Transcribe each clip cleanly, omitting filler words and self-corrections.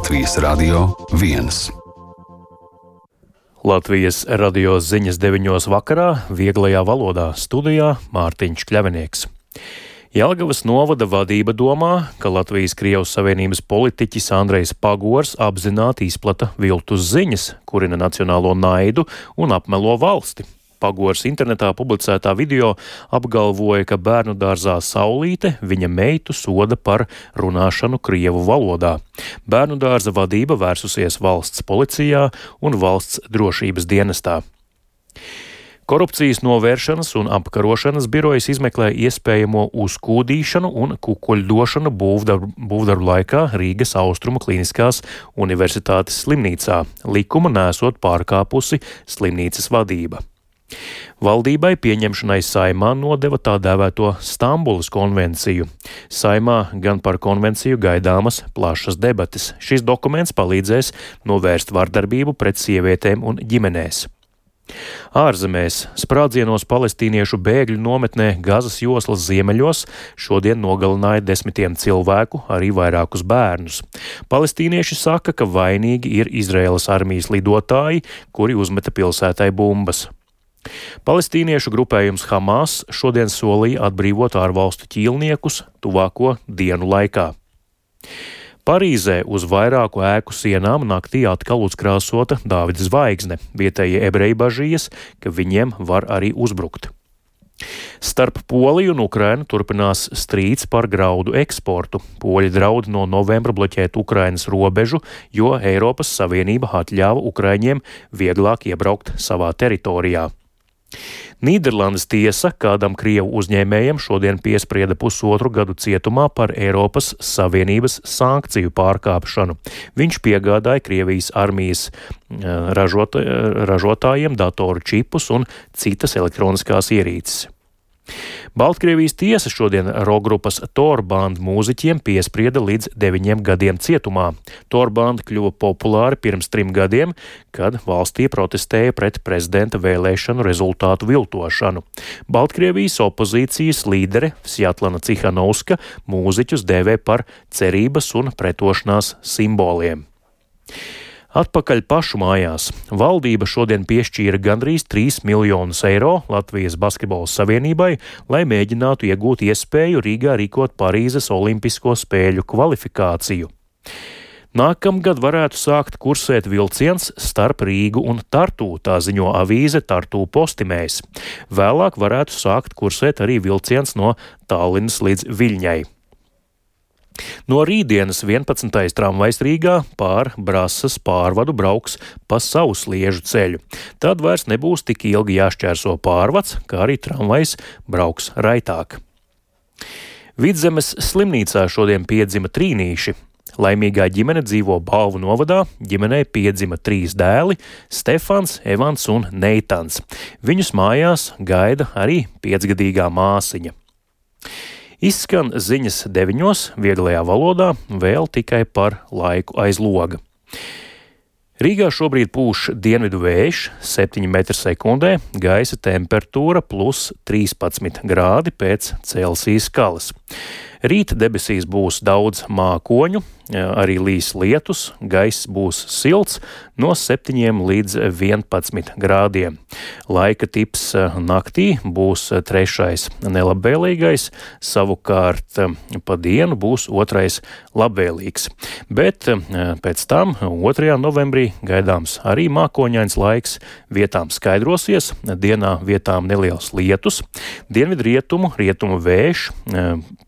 Latvijas Radio 1. Latvijas radio ziņas 9 vakarā vieglajā valodā studijā Mārtiņš Kļavinieks. Jelgavas novada vadība domā, ka Latvijas-Krievijas Savienības politiķis Andrejs Pagors apzināti izplata viltus ziņas, kurina nacionālo naidu un apmelo valsti. Pagors internetā publicētā video apgalvoja, ka bērnu dārzā Saulīte viņa meitu soda par runāšanu krievu valodā. Bērnu dārza vadība vērsusies valsts policijā un valsts drošības dienestā. Korupcijas novēršanas un apkarošanas birojas izmeklē iespējamo uzkūdīšanu un kukuļdošanu būvdarbu laikā Rīgas Austrumu Kliniskās universitātes slimnīcā, likuma nesot pārkāpusi slimnīcas vadība. Valdībai pieņemšanai Saeimā nodeva tā dēvēto Stambulas konvenciju. Saeimā gan par konvenciju gaidāmas plašas debates. Šis dokuments palīdzēs novērst vardarbību pret sievietēm un ģimenēs. Ārzemēs sprādzienos palestīniešu bēgļu nometnē Gazas joslas ziemeļos šodien nogalināja 10 cilvēku, arī vairākus bērnus. Palestīnieši saka, ka vainīgi ir Izraēlas armijas lidotāji, kuri uzmeta pilsētai bumbas. Palestīniešu grupējums Hamas šodien solīja atbrīvot ārvalstu ķīlniekus tuvāko dienu laikā. Parīzē uz vairāku ēku sienām naktī atkal uzkrāsota Dāvida zvaigzne. Vietējie ebreji bažījas, ka viņiem var arī uzbrukt. Starp Poliju un Ukrainu turpinās strīds par graudu eksportu. Poļi draud no novembra bloķēt Ukrainas robežu, jo Eiropas Savienība atļāva ukraiņiem vieglāk iebraukt savā teritorijā. Nīderlandes tiesa kādam krievu uzņēmējam šodien piesprieda 1,5 gadu cietumā par Eiropas Savienības sankciju pārkāpšanu. Viņš piegādāja Krievijas armijas ražotājiem datoru čipus un citas elektroniskās ierīces. Baltkrievijas tiesa šodien rokgrupas Torband mūziķiem piesprieda līdz 9 gadiem cietumā. Torband kļuva populāri pirms 3 gadiem, kad valstī protestēja pret prezidenta vēlēšanu rezultātu viltošanu. Baltkrievijas opozīcijas līdere Svjatlana Cihanovska mūziķus dēvē par cerības un pretošanās simboliem. Atpakaļ pašu mājās. Valdība šodien piešķīra gandrīz 3 miljonus eiro Latvijas basketbola savienībai, lai mēģinātu iegūt iespēju Rīgā rīkot Parīzes olimpisko spēļu kvalifikāciju. Nākamgad varētu sākt kursēt vilciens starp Rīgu un Tartu, tā ziņo avīze Tartu Postimējs. Vēlāk varētu sākt kursēt arī vilciens no Tallinas līdz Viļņai. No rītdienas 11. tramvajs Rīgā pār Brasas pārvadu brauks pa savu sliežu ceļu. Tad vairs nebūs tik ilgi jāšķērso pārvads, kā arī tramvajs brauks raitāk. Vidzemes slimnīcā šodien piedzima trīnīši. Laimīgā ģimene dzīvo Balvu novadā, ģimenei piedzima 3 dēli – Stefans, Evans un Neitans. Viņus mājās gaida arī 5-gadīgā māsiņa. Izskan ziņas 9 vieglajā valodā, vēl tikai par laiku aiz loga. Rīgā šobrīd pūš dienvidu vējš 7 m/sekundē, gaisa temperatūra plus 13 grādi pēc Celsijas skalas. Rīt debesīs būs daudz mākoņu, arī līs lietus, gaiss būs silts no 7 līdz 11 grādiem. Laika tips naktī būs 3. nelabvēlīgais, savukārt pa dienu būs 2. labvēlīgs. Bet pēc tam 2. novembrī gaidāms arī mākoņains laiks, vietām skaidrosies, dienā vietām neliels lietus, dienvidrietumu vējš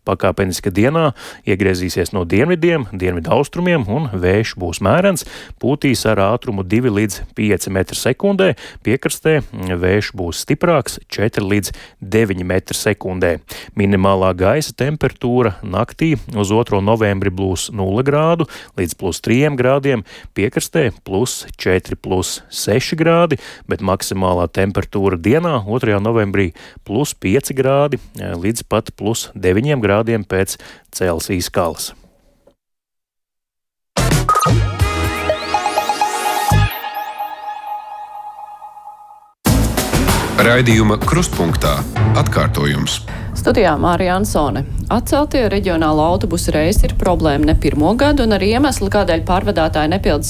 pakāpeniski dienā iegriezīsies no dienvidiem, dienvidaustrumiem un vējš būs mērens, pūtīs ar ātrumu 2 līdz 5 m/sekundē, piekrastē vējš būs stiprāks 4 līdz 9 m/sekundē. Minimālā gaisa temperatūra naktī uz 2. novembri būs 0 grādu līdz plus 3 grādiem, piekrastē plus 4 plus 6 grādi, bet maksimālā temperatūra dienā 2. novembrī plus 5 grādi līdz pat plus 9 grādiem pēc Celsijas skalas. Raidījuma Krustpunktā atkārtojums. Studijā Mārija Ansone. atcelti. Reģionālo autobusu reisi ir problēma ne pirmo gadu, un arī iemesli, kādēļ pārvadātāji nepilda